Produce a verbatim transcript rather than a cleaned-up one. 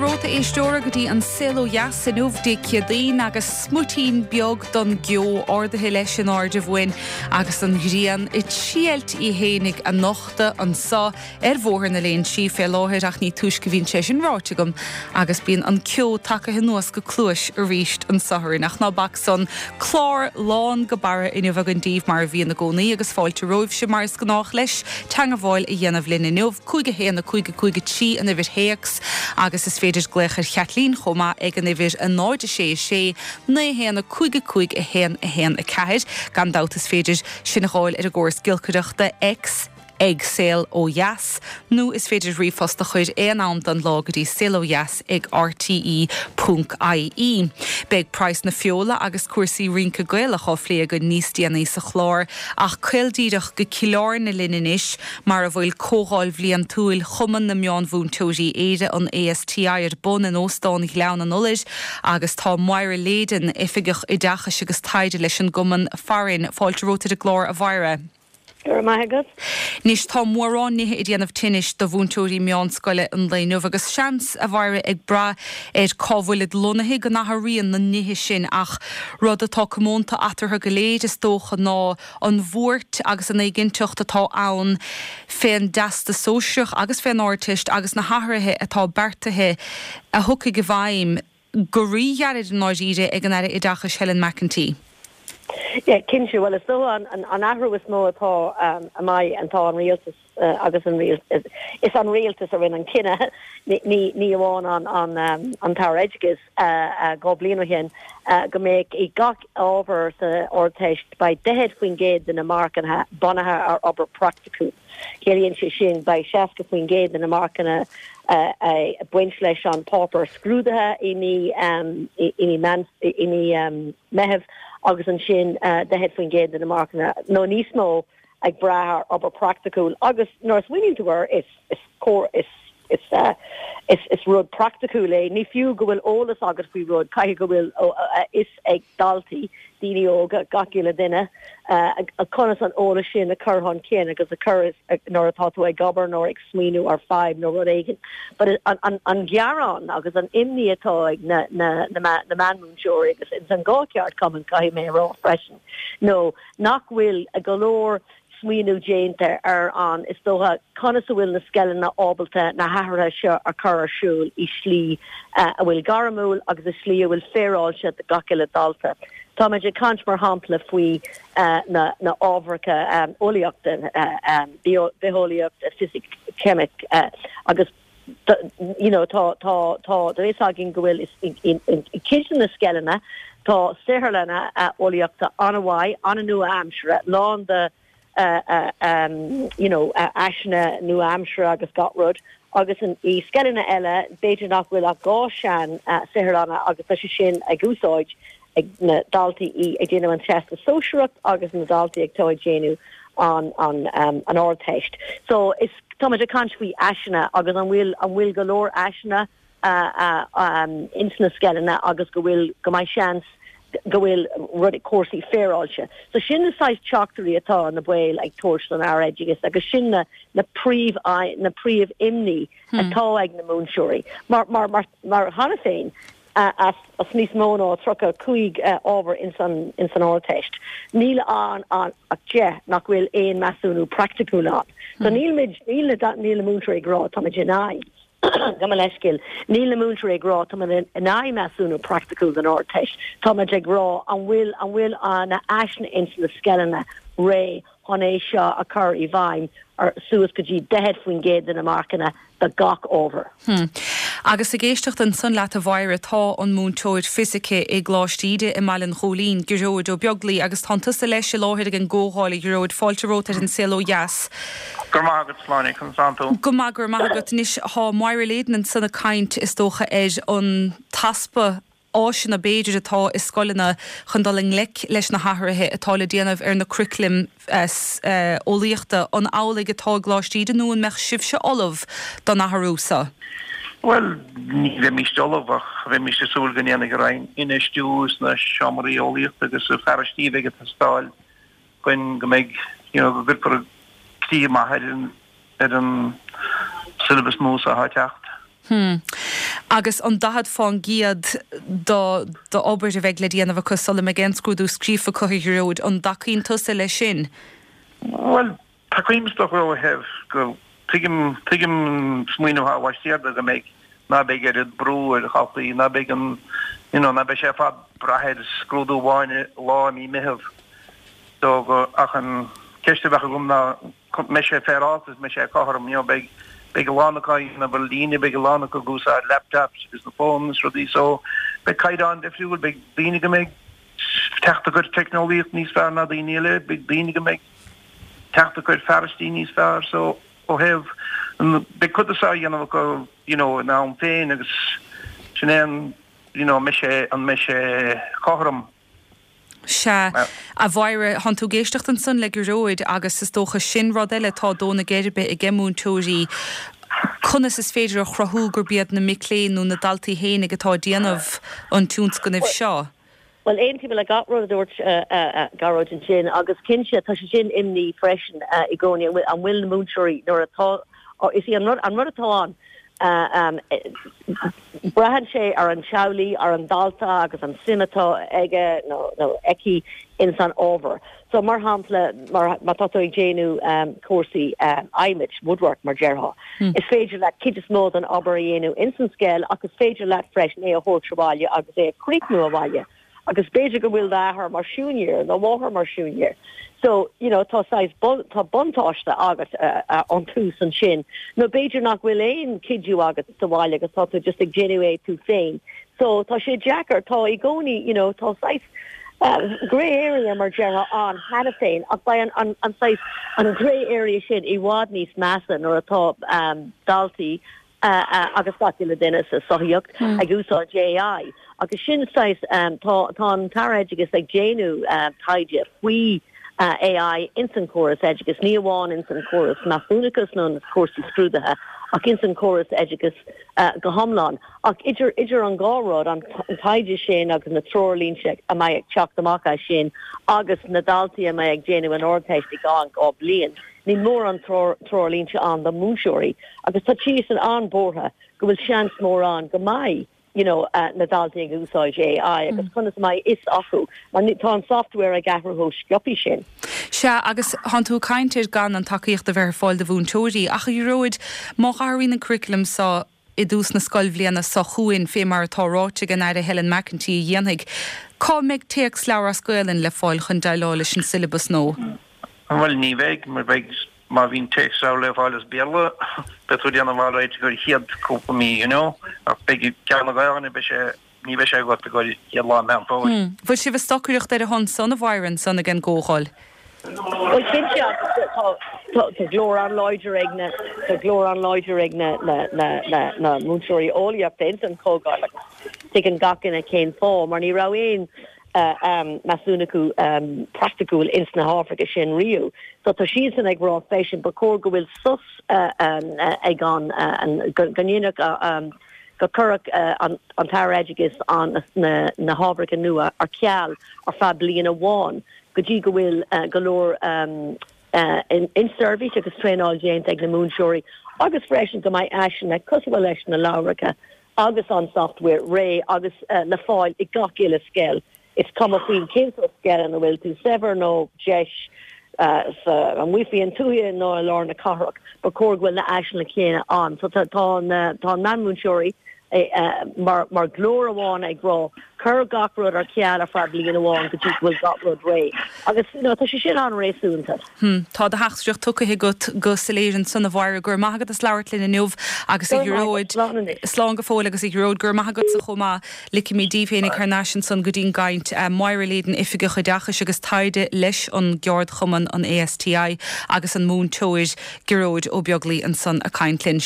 romhat, a éisteoir, go dtí an Saol Ó Dheas inniu Dé Céadaoin agus smuitín beag don gceo ardaithe leis in airde bhuain agus an ghrian ag triailt í fhéinig a nochtadh anso ar Bhóthar na Léinsí fé láthair ach ní túisce bhíonn sé sin ráite agam agus bíonn an ceo tagtha anuas go cluais arís anso orainn ach ná bac san clár lán go barra inniu againn daoibh mar a bhíonn i gcónaí agus fáilte romhaibhse mar is gnách leis teagmháil a dhéanamh linn inniu cúig a haon a cúig a cúig a trí an uimhir théacs agus is féidir glaoch ar Chaitlín chomh maith ag an uimhir a náid a sé a sé naoi haon a cúig a cúig a haon a haon a ceathair. Gan dabht is féidir sinn a fháil ar an gcóras giolcaireachta X ag Saol Ó Dheas nó is féidir ríomhphost a chur aon am den lá go dtí saolodheas ag RTE ponc IE. Beidh praghas na feola agus cúrsaí rince Gaelach á phlé againn níos déanaí sa chlár ach caol díreach go Cill Airne linn anois mar a bhfuil Comhdháil Bhliantúil Chumann na Meánmhúinteoirí Éire an ASTI ar bun in Óstán Ghleann an Iolair agus tá Máire Leyden oifigeach oideachais agus taighde leis an gcumann farainn fáilte romhat ar an gclár a Mháire. Go maith agat. Anois tá mórán nithe ag déanamh tinnis do mhúinteoirí meánscoile an lae inniu agus seans a Mháire ag brath ar cá bhfuilid lonnaithe go n-athraíonn na nithe sin ach rud atá comónta eatarthu go léir is dócha ná an bhuairt agus an éiginnteacht atá ann fén dteastas sóisearach agus fén Ardteist agus na hathruithe atá beartaithe a thiocfaidh i bhfeidhm go ríghairid i ndáiríre ag an Aire Oideachais Helen McEntee. Yeah, cinnte well is dócha an, an, an athrú is mó atá um, amach atá an rialtas uh, agus an rialtas is an rialtas a rinne an cinneadh ní ní amháin an an um, an tAire Oideachais uh, uh, dhá bhliain ó shin uh, go mbeidh i gach ábhar sa Ardteist beidh daichead faoin gcéad de na marcanna bunaithe ar obair praiticiúil. Ciallaíonn sé sin beidh seasca faoin gcéad de na marcanna uh, uh, baint leis an páipéar scrúdaithe i mí um, i mí i mí um, Meitheamh agus ansin uh, daichead faoin gcéad de na marcanna nó níos mó ag brath ar obair praiticiúil agus nuair a smaoiníonn tú air is is cóir is is uh, is is rud praiticiúil é ní fiú go bhfuil eolas agat faoi rud caithfidh go bhfuil fhios ag daltaí daoine óga gach uile duine uh, conas an eolas sin a chur chun cinn agus a chur nuair atá tú ag obair nó ag smaoineamh ar fadhb nó rud éigin. But an, an, an gearán agus an imní atá ag na, na, na, na meánmhúinteoirí agus ins an dhá cheardchumann caithfidh mé rá freisin. No nach bhfuil a go leor smaoineamh déanta ar an is dócha conas a bhfuil na scoileanna ábalta na hathruithe seo a chur ar siúl i slí uh, a bhfuil gairmiúil agus i slí a bhfuil féaráilte do gach uile dalta. Tá muid ag caint mar shampla faoi uh, na, na ábhair um, eolaíochta uh, um, bitheolaíocht, fisic, ceimic uh, agus you know tá tá tá tá againn go bhfuil i cuid na scoileanna tá saotharlanna eolaíochta an-mhaith an-nua-aimseartha lán de uh, uh, um, you know, uh, áiseanna nua-aimseartha agus gach rud agus an i scoileanna eile b'fhéidir nach bhfuil ach dhá sean uh, saotharlanna agus tá sé sin ag úsáid ag na daltaí í ag déanamh an teastas sóisearach agus na daltaí ag tá ag déanamh an an um, an Ardteist. So is tá ag caint faoi áiseanna agus an bhfuil an bhfuil go leor áiseanna uh, uh, um, ins na scoileanna agus go bhfuil go mbeidh seans go bhfuil rud cúrsaí féaráilte. So sin na saghas teachtaireachtaí atá na baill ag tabhairt don Aire Oideachais agus sin na na príomh na príomh imní hmm. atá ag na múinteoirí. Mar mar mar mar cheana féin uh, as as níos mó ná tríocha cúig uh, ábhar in san in san Ardteist. Níl an an ach deich nach bhfuil aon measúnú praiticiúil ann. So hmm. níl níl níl múinteoirí ag rá tá in aghaidh. Gabh mo leithscéal níl na múinteoirí ag rá tá in aghaidh measúnú praiticiúil den Ardteist Tá ag rá an bhfuil an bhfuil an na áiseanna ins na scoileanna réidh chun é seo a chur i bhfeidhm ar suas go dtí daichead faoin gcéad de na marcanna do gach ábhar. Hmm. Agus ag éisteacht ansan leat a Mháire tá an múinteoir fisice i gColáiste Íde i mBaile an Ghóilín, Gearóid Ó Beaglaoi agus tá tusa leis i láthair ag an gcomhdháil Gearóid fáilte romhat ar an Saol Ó Dheas. Gur mágad sláine chun santú. Go maith gur mágad níis há Máire léan an sanna caint is dócha ar an t-easpa áiseanna b'fhéidir atá i scoileanna chun dul i ngleic leis na hathruithe atá le déanamh ar na curaclaim eolaíochta an amhlaidh atá i gColáiste Íde nó an mbeadh sibhse ullamh don athrú seo. Well ní bheimid ullamh ach bheimis ag súil go ndéanfaidh an Roinn infheistiú sna seomraí eolaíochta agus sa fearas a bheidh ag teastáil chun go mbeidh you know, go gcuirfear críoch maith ar an ar an syllabus nua atá ag teacht. Hmm. Agus an daichead fán gcéad d'obair a bheidh le déanamh acu sula mbeidh aon scrúdú scríofa acu, a Ghearóid, an dtacaíonn tusa leis sin? Bhuel, tacaím is dócha ó thaobh go tuigim tuigim smaoineamh atá laistiar de go mbeidh ná beidh oiread brú ar dhaltaí, ná beidh an you know ná beidh sé ar fad brath ar scrúdú amháin lá i mí Meitheamh. So go ach an ceist a bheadh agam ná mbeidh sé féaráilte is mbeidh sé cothrom, you know beidh beidh a lán acu ag déanamh ar líne, beidh a lán acu ag úsáid laptops agus na phones is rudaí so beidh caighdeán difriúil, beidh daoine go mbeidh teacht acu ar teicneolaíocht níos fearr ná daoine eile, beidh daoine go mbeidh teacht acu ar fearaistí níos fearr so ó thaobh beidh cuid de á dhéanamh acu you know ina am féin agus sin é an you know an mbeidh sé an mbeidh sé cothrom. Sea, a Mháire, thánn tú ag éisteacht ansan le Gearóid agus is dócha sin rud eile atá ag dó na geirbe ag múinteoirí, conas is féidir a chruthú gurb iad na mic léinn nó na daltaí fhéinig atá ag déanamh an tionscnaimh seo? Bhuel, aontaím le gach rud a dúirt Gearóid ansin agus cinnte tá sé sin imní freisin i gcónaí an bhfuil na múinteoirí nuair atá, is í an rud an rud atá ann, braitheann sé ar an teaghlaigh, ar an dalta agus an suim atá aige nó nó aici ins an ábhar. So mar shampla mar má tá tú ag déanamh cúrsaí adhmaid, woodwork mar déarfá, is féidir leat cuid is mó den obair a dhéanamh ins an scoil ach is féidir leat freisin é a thabhairt abhaile agus é a chríochnú abhaile. Agus b'fhéidir go bhfuil d'athair mar siúinéir nó máthair mar siúinéir. So, you know, tá saghas tá buntáiste agat ón tús ansin. Nó b'fhéidir nach bhfuil aon cuidiú agat sa bhaile agus tá tú just ag déanamh é tú féin. So tá sé deacair, tá i gcónaí, you know, tá saghas grey area mar déarfá ann cheana féin ach beidh an, an, an saghas an grey area sin i bhfad níos measa nuair atá um, daltaí agus gach uile duine sa sochaíocht ag úsáid AI. Agus sin saghas tá tá an tAire Oideachais ag déanamh taighde faoi AI ins an córas oideachais, ní amháin ins an córas measúnachas nó na cúrsaí scrúdaithe ach ins an córas oideachais go hiomlán. Ach idir idir an dhá rud, an taighde sin agus na treoirlínte a mbeidh ag teacht amach as sin agus na daltaí a mbeidh ag déanamh an Ardteist i gceann dhá bliain, Níl mórán treoirlínte ann do mhúinteoirí agus tá siadsan an-bhuartha go bhfuil seans mór ann go mbeidh you know, na daltaí ag úsáid AI agus conas a mbeidh fhios acu mar tá an software ag athrú chomh sciobtha sin. Sea, agus thánn tú ag caint ar gan an tacaíocht a bheith ar fáil do mhúinteoirí ach a Ghearóid, má athraíonn an curriculum seo i dtús na scoilbhliana seo chugainn, fé mar atá ráite ag an Aire Helen McEntee a dhéanfaidh, cá mbeidh téacsleabhar as Gaelainn le fáil chun déileáil leis an siollabas nua? Bhuel, ní bheidh, mar beidh, má bhíonn téacsleabhar le fáil as Béarla, beidh tú ag déanamh alright go chéad cúpla mí, you know, ach beidh ceann na Gaelainne, beidh sé, ní bheidh sé agat go chéad lá Meán Fómhair. Bhfuil sibh ag stocaireacht ar a shon san, a Mháire, ansan ag an gComhdháil? Bhuel, cinnte, agus tá, tá, tá glór an-láidir ag na, tá glór an-láidir ag na, na, na, na, na múinteoirí eolaíochta ins an Chomhdháil agus tuigeann gach duine cén fáth, mar ní raibh aon measúnú praiticiúil ins na hábhair sin riamh. So tá siadsan ag rá freisin ba chóir go bhfuil sos ag an go ndéanfadh go gcuirfeadh an tAire Oideachais an na hábhair nua ar ceal ar feadh bliain amháin go dtí go bhfuil go leor inseirbhís agus traenáil déanta ag na múinteoirí agus freisin go mbeidh áiseanna cosúil leis na leabhracha agus an software réidh agus le fáil i gach uile scoil. Is cuma faoin cén sórt scoil ina bhfuil tú, saibhir nó deis, sa amuigh faoin tuaithe nó i lár na cathrach, ba chóir go bhfuil na áiseanna céanna ann. So tá tá na tá na múinteoirí mar mar ghlór amháin ag rá cuir gach rud ar ceal ar feadh bliain amháin go dtí go bhfuil gach rud réidh. Agus you know, tá sé sin an-réasúnta. Hmm. Tá do theachtaireacht tugtha agat go soiléir ansan a Mháire, go raibh maith agat as labhairt linn inniu agus a Ghearóid, slán go fóill agus a Ghearóid, go raibh maith agatsa chomh maith. Ligfimid díbh féinig thar n-ais ansan go dtí'n gcaint. Máire Leyden, Oifigeach Oideachais agus Taighde leis an gceardchumann an ASTI agus an múinteoir Gearóid Ó Beaglaoi ansan ag caint linn.